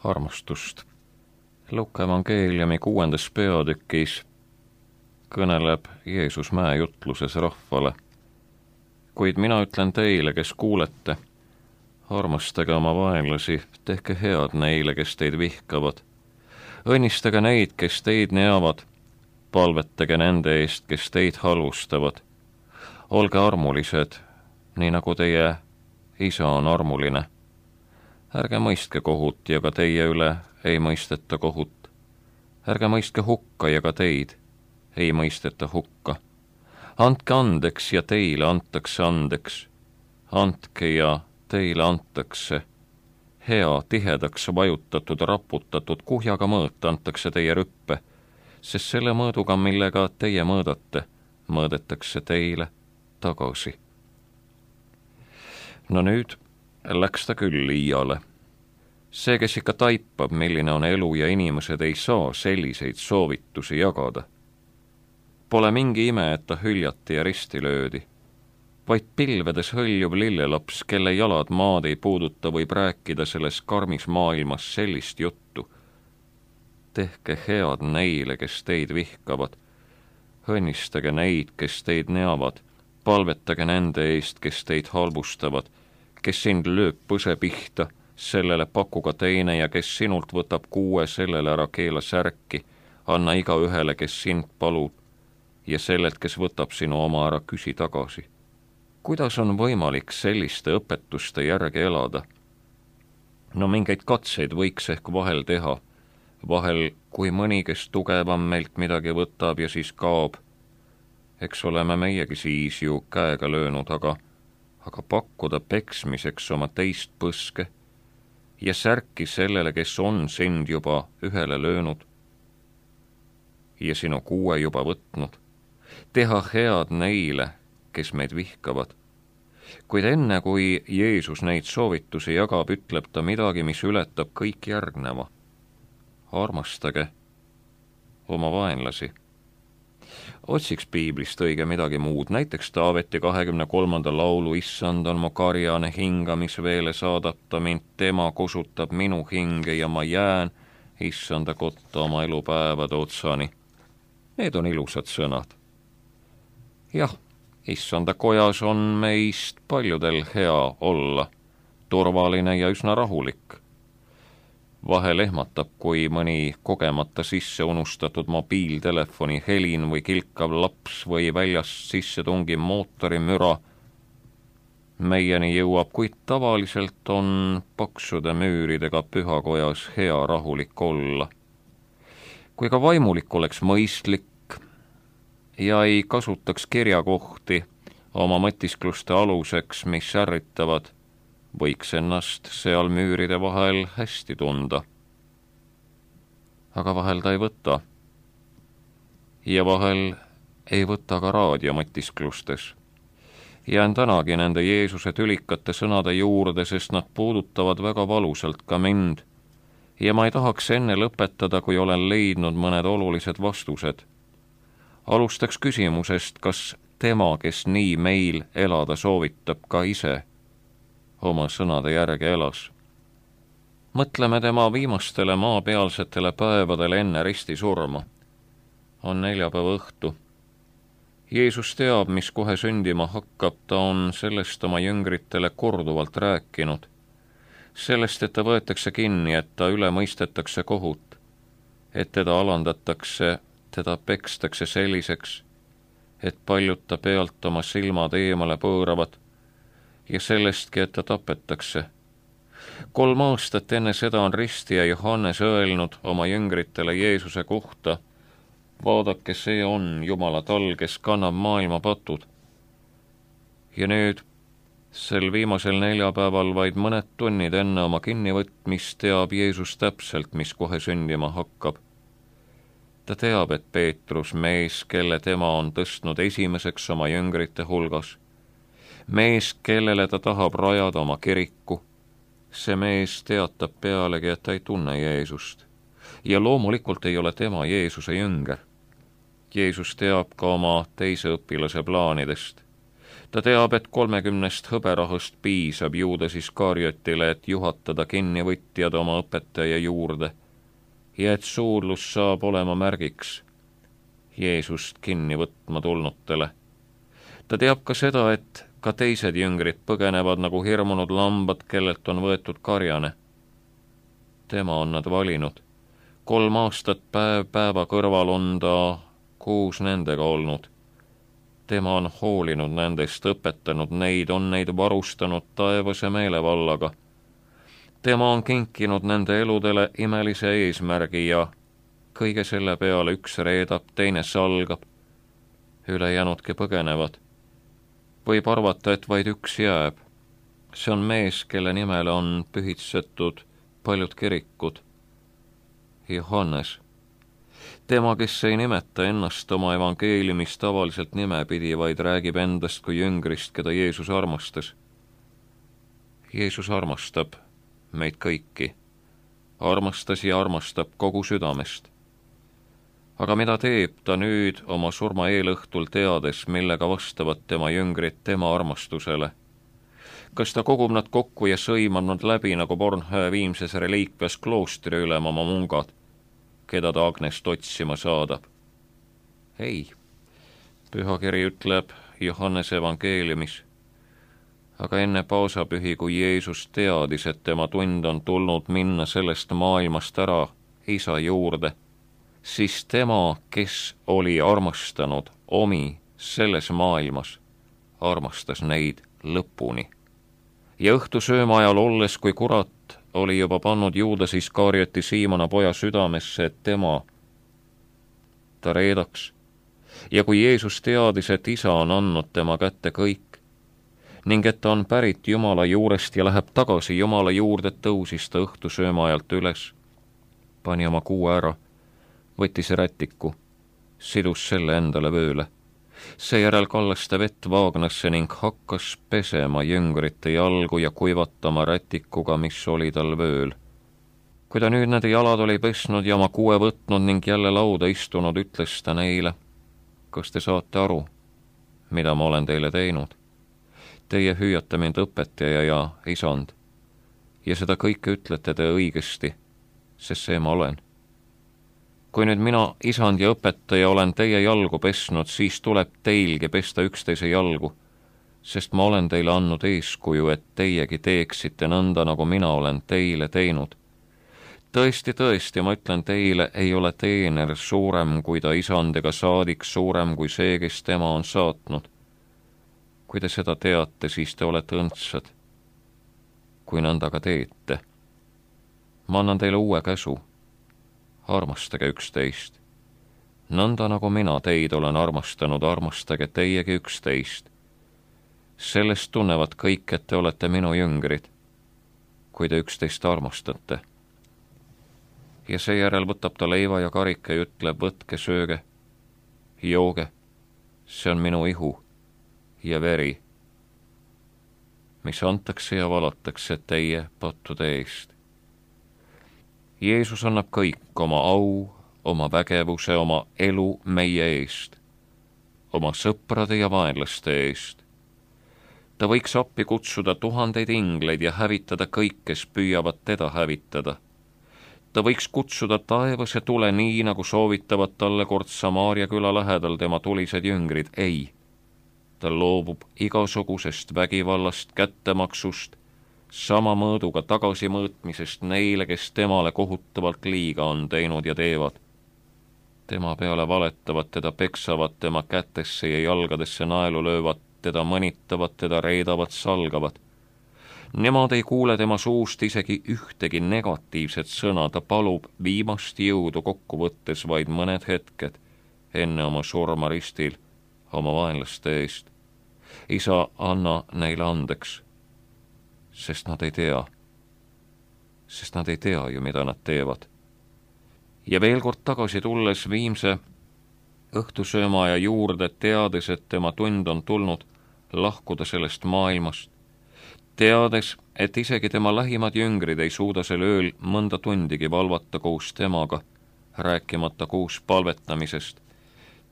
armastust. Luuka evangeeliumi 6. peatükis kõneleb Jeesus mäejutluses rahvale. Kuid mina ütlen teile, kes kuulete, armastage oma vaenlasi, tehke head neile, kes teid vihkavad. Õnnistage neid, kes teid neavad, palvetage nende eest, kes teid halvustavad. Olge armulised, nii nagu teie isa on armuline. Ärge mõistke kohut ja ka teie üle ei mõisteta kohut. Ärge mõistke hukka ja ka teid ei mõisteta hukka. Andke andeks ja teile antakse andeks. Andke ja teile antakse. Hea, tihedaks vajutatud, raputatud, kuhjaga mõõt antakse teie rüppe, sest selle mõõduga, millega teie mõõdate, mõõdetakse teile tagasi. No nüüd läks ta küll liiale. See, kes ikka taipab, milline on elu ja inimesed ei saa selliseid soovitusi jagada. Pole mingi ime, et ta hüljati ja risti löödi. Vaid pilvedes hõljuv lillelaps, kelle jalad maad ei puuduta, võib rääkida selles karmis maailmas sellist juttu. Tehke head neile, kes teid vihkavad. Õnnistage neid, kes teid neavad. Palvetage nende eest, kes teid halvustavad. Kes sind lööb põse pihta, sellele pakuga teine ja kes sinult võtab 6, sellele ära keela särki. Anna iga ühele, kes sind palub ja sellelt, kes võtab sinu oma ära, küsi tagasi. Kuidas on võimalik selliste õpetuste järgi elada? No mingeid katseid võiks ehk vahel teha. Vahel, kui mõni, kes tugevam meilt midagi võtab ja siis kaob. Eks oleme meiegi siis ju käega löönud, aga pakkuda peksmiseks oma teist põske ja särki sellele, kes on sind juba ühele löönud ja sinu 6 juba võtnud. Teha head neile, kes meid vihkavad. Kuid enne, kui Jeesus neid soovitusi jagab, ütleb ta midagi, mis ületab kõik järgneva. Armastage oma vaenlasi. Otsiks piiblist õige midagi muud, näiteks Taaveti 23. laulu Issand on mu karjane hingamisveele, saadab ta mind, tema kosutab minu hinge ja ma jään Issanda kotta oma elupäevade otsani. Need on ilusad sõnad. Jah, Issanda kojas on meist paljudel hea olla, turvaline ja üsna rahulik. Vahel ehmatab, kui mõni kogemata sisse unustatud mobiiltelefoni helin või kilkav laps või väljast sisse tungiv mootori müra meieni jõuab, kuid tavaliselt on paksude müüridega pühakojas hea rahulik olla. Kui ka vaimulik oleks mõistlik ja ei kasutaks kirjakohti oma mõtiskluste aluseks, mis ärritavad, võiks ennast seal müüride vahel hästi tunda. Aga vahel ta ei võta. Ja vahel ei võta ka raadiomõtisklustes. Jään tänagi nende Jeesuse tülikate sõnade juurde, sest nad puudutavad väga valusalt ka mind. Ja ma ei tahaks enne lõpetada, kui olen leidnud mõned olulised vastused. Alustaks küsimusest, kas tema, kes nii meil elada soovitab, ka ise oma sõnade järgi elas. Mõtleme tema viimastele maapealsetele päevadele enne risti surma. On neljapäeva õhtu. Jeesus teab, mis kohe sündima hakkab, ta on sellest oma jüngritele korduvalt rääkinud. Sellest, et ta võetakse kinni, et ta üle mõistetakse kohut, et teda alandatakse, teda pekstakse selliseks, et paljud ta pealt oma silmad eemale pööravad ja sellestki, et ta tapetakse. 3 aastat enne seda on ristija Johannes öelnud oma jüngritele Jeesuse kohta, vaadake, see on Jumala tall, kes kannab maailma patud. Ja nüüd, sel viimasel neljapäeval vaid mõned tunnid enne oma kinnivõtmist teab Jeesus täpselt, mis kohe sündima hakkab. Ta teab, et Peetrus, mees, kelle tema on tõstnud esimeseks oma jüngrite hulgas, mees, kellele ta tahab rajada oma kiriku, see mees teatab pealegi, et ta ei tunne Jeesust. Ja loomulikult ei ole tema Jeesuse jünger. Jeesus teab ka oma teise õpilase plaanidest. Ta teab, et 30 hõberahust piisab Juudas Iskariotile, et juhatada kinnivõtjad oma õpetaja juurde ja et suudlus saab olema märgiks Jeesust kinni võtma tulnutele. Ta teab ka seda, et ka teised jüngrid põgenevad nagu hirmunud lambad, kellelt on võetud karjane. Tema on nad valinud. 3 aastat päev päeva kõrval on ta koos nendega olnud. Tema on hoolinud nendest, õpetanud neid, on neid varustanud taevase meelevallaga. Tema on kinkinud nende eludele imelise eesmärgi ja kõige selle peale üks reedab, teine salgab. Ülejäänudki põgenevad. Võib arvata, et vaid üks jääb. See on mees, kelle nimele on pühitsetud paljud kirikud. Johannes. Tema, kes ei nimeta ennast oma evangeeliumis tavaliselt nimepidi, vaid räägib endast kui jüngrist, keda Jeesus armastas. Jeesus armastab meid kõiki. Armastas ja armastab kogu südamest. Aga mida teeb ta nüüd oma surma eelõhtul, teades, millega vastavad tema jüngrid tema armastusele? Kas ta kogub nad kokku ja sõimab nad läbi nagu Bornhöhe Viimses reliikvias kloostri ülem oma mungad, keda ta Agnest otsima saadab? Ei, pühakiri ütleb Johannese evangeeliumis. Aga enne paasapühi, kui Jeesus teadis, et tema tund on tulnud minna sellest maailmast ära Isa juurde, siis tema, kes oli armastanud omi selles maailmas, armastas neid lõpuni. Ja õhtusööma ajal olles, kui kurat oli juba pannud Juudas Iskarioti Siimona poja südamesse, et ta reedaks. Ja kui Jeesus teadis, et Isa on andnud tema kätte kõik ning et ta on pärit Jumala juurest ja läheb tagasi Jumala juurde, tõusis ta õhtusööma ajalt üles, pani oma kuue ära, võttis rätiku, sidus selle endale vööle. Seejärel kallas ta vett vaagnasse ning hakkas pesema jüngrite jalgu ja kuivatama rätikuga, mis oli tal vööl. Kui ta nüüd nende jalad oli pesnud ja oma kuue võtnud ning jälle lauda istunud, ütles ta neile: kas te saate aru, mida ma olen teile teinud? Teie hüüate mind õpetaja ja isand, ja seda kõike ütlete te õigesti, sest see ma olen. Kui nüüd mina, isand ja õpetaja, olen teie jalgu pesnud, siis tuleb teilgi pesta üksteise jalgu, sest ma olen teile andnud eeskuju, et teiegi teeksite nõnda, nagu mina olen teile teinud. Tõesti, tõesti, ma ütlen teile, ei ole teener suurem kui ta isand ega saadik suurem kui see, kes tema on saatnud. Kui te seda teate, siis te olete õndsad, kui nõnda ka teete. Ma annan teile uue käsu. Armastage üksteist. Nõnda nagu mina teid olen armastanud, armastage teiegi üksteist. Sellest tunnevad kõik, et te olete minu jüngrid, kui te üksteist armastate. Ja seejärel võtab ta leiva ja karika ja ütleb: võtke, sööge, jooge, see on minu ihu ja veri, mis antakse ja valatakse teie pattude eest. Jeesus annab kõik oma au, oma vägevuse, oma elu meie eest, oma sõprade ja vaenlaste eest. Ta võiks appi kutsuda 1000 ingleid ja hävitada kõik, kes püüavad teda hävitada. Ta võiks kutsuda taevase tule nii, nagu soovitavad talle kord Samaaria küla lähedal tema tulised jüngrid. Ei, ta loobub igasugusest vägivallast, kättemaksust, sama mõõduga tagasimõõtmisest neile, kes temale kohutavalt liiga on teinud ja teevad. Tema peale valetavad, teda peksavad, tema kätesse ja jalgadesse naelu löövad, teda mõnitavad, teda reedavad, salgavad. Nemad ei kuule tema suust isegi ühtegi negatiivset sõna, ta palub viimast jõudu kokku võttes vaid mõned hetked enne oma surma ristil oma vaenlaste eest. Isa, anna neile andeks, sest nad ei tea ju, mida nad teevad. Ja veel kord tagasi tulles Viimse õhtusöömaaja juurde, teades, et tema tund on tulnud lahkuda sellest maailmast, teades, et isegi tema lähimad jüngrid ei suuda sel ööl mõnda tundigi valvata koos temaga, rääkimata koos palvetamisest,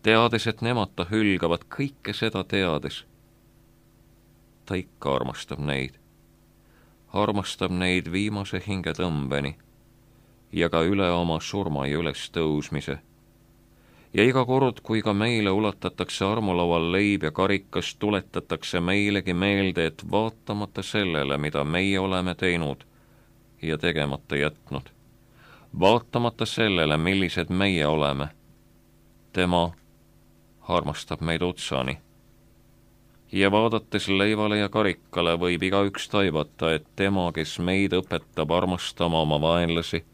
teades, et nemad ta hülgavad, kõike seda teades, ta ikka armastab neid. Armastab neid viimase hingetõmbeni ja ka üle oma surma ja ülestõusmise. Ja iga kord, kui ka meile ulatatakse armulaual leib ja karikas, tuletatakse meilegi meelde, et vaatamata sellele, mida meie oleme teinud ja tegemata jätnud, vaatamata sellele, millised meie oleme, tema armastab meid otsani. Ja vaadates leivale ja karikale võib igaüks taibata, et tema, kes meid õpetab armastama oma vaenlasi,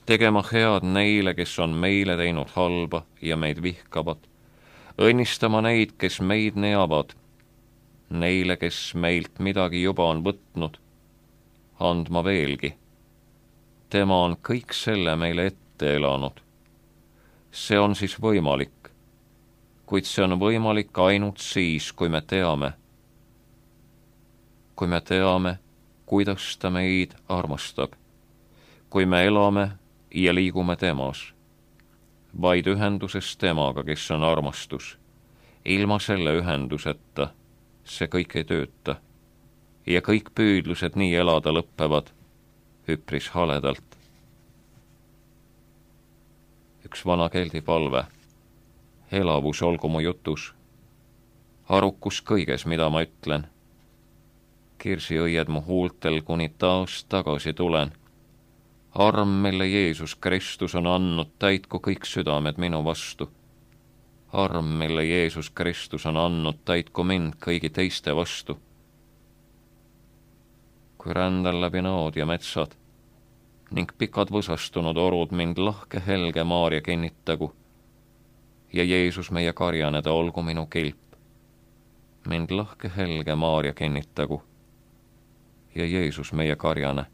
tegema head neile, kes on meile teinud halba ja meid vihkavad, õnnistama neid, kes meid neavad, neile, kes meilt midagi juba on võtnud, andma veelgi. Tema on kõik selle meile ette elanud. See on siis võimalik, kuid see on võimalik ainult siis, kui me teame, kuidas ta meid armastab, kui me elame ja liigume temas, vaid ühenduses temaga, kes on armastus. Ilma selle ühenduseta see kõik ei tööta ja kõik püüdlused nii elada lõppevad üpris haledalt. Üks vana keldi palve. Elavus olgu mu jutus, arukus kõiges, mida ma ütlen. Kirsiõied mu huultel, kuni taas tagasi tulen. Arm, mille Jeesus Kristus on andnud, täitku kõik südamed minu vastu. Arm, mille Jeesus Kristus on andnud, täitku mind kõigi teiste vastu. Kui rändan läbi nood ja metsad ning pikad võsastunud orud, mind lahke helge Maarja kinnitagu ja Jeesus meie karjane, ta olgu minu kilp. Mind lahke helge Maarja kinnitagu ja Jeesus meie karjane,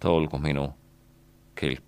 ta olgu minu kilp.